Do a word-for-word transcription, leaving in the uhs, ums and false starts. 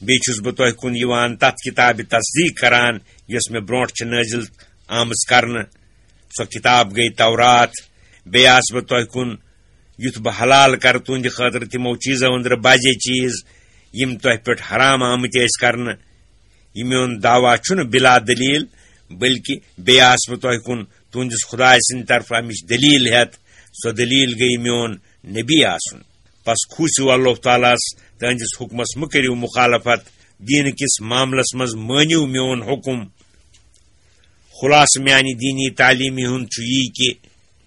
بیٚیہِ چھُس بہٕ تۄہہِ کُن یِوان تَتھ کِتابہِ تصدیٖق کران، یۄس مےٚ برونٛٹھ چھِ نٲزِل آمٕژ کرنہٕ۔ سۄ کِتاب گٔے تورات۔ بیٚیہِ آس بہٕ تۄہہِ کُن یُتھ بہٕ حلال کرٕ تُہنٛدِ خٲطرٕ تِمو چیٖزو أنٛدرٕ بعضے چیٖز، یِم تۄہہِ پٮ۪ٹھ حرام آمٕتۍ ٲسۍ کرنہٕ۔ یہِ میون دعویٰ چھُنہٕ بلا دٔلیٖل، بلکہِ بیٚیہِ آس بہٕ تۄہہِ کُن تُہنٛدِس خۄداے سٕنٛدِ طرفہٕ اَمِچ دٔلیٖل ہٮ۪تھ۔ سۄ دٔلیٖل گٔیہِ میون نبی آسُن۔ پس کھوٗژِو اللہ تعالیٰ ہس، تہنٛدِس حُکمس مہٕ کٔرِو مُخالفت، دیٖنہٕ کِس معاملس منٛز مٲنِو میون حُکم۔ خُلاصہٕ میانہِ دیٖنی تعلیٖمہِ ہُنٛد چھُ یی کہِ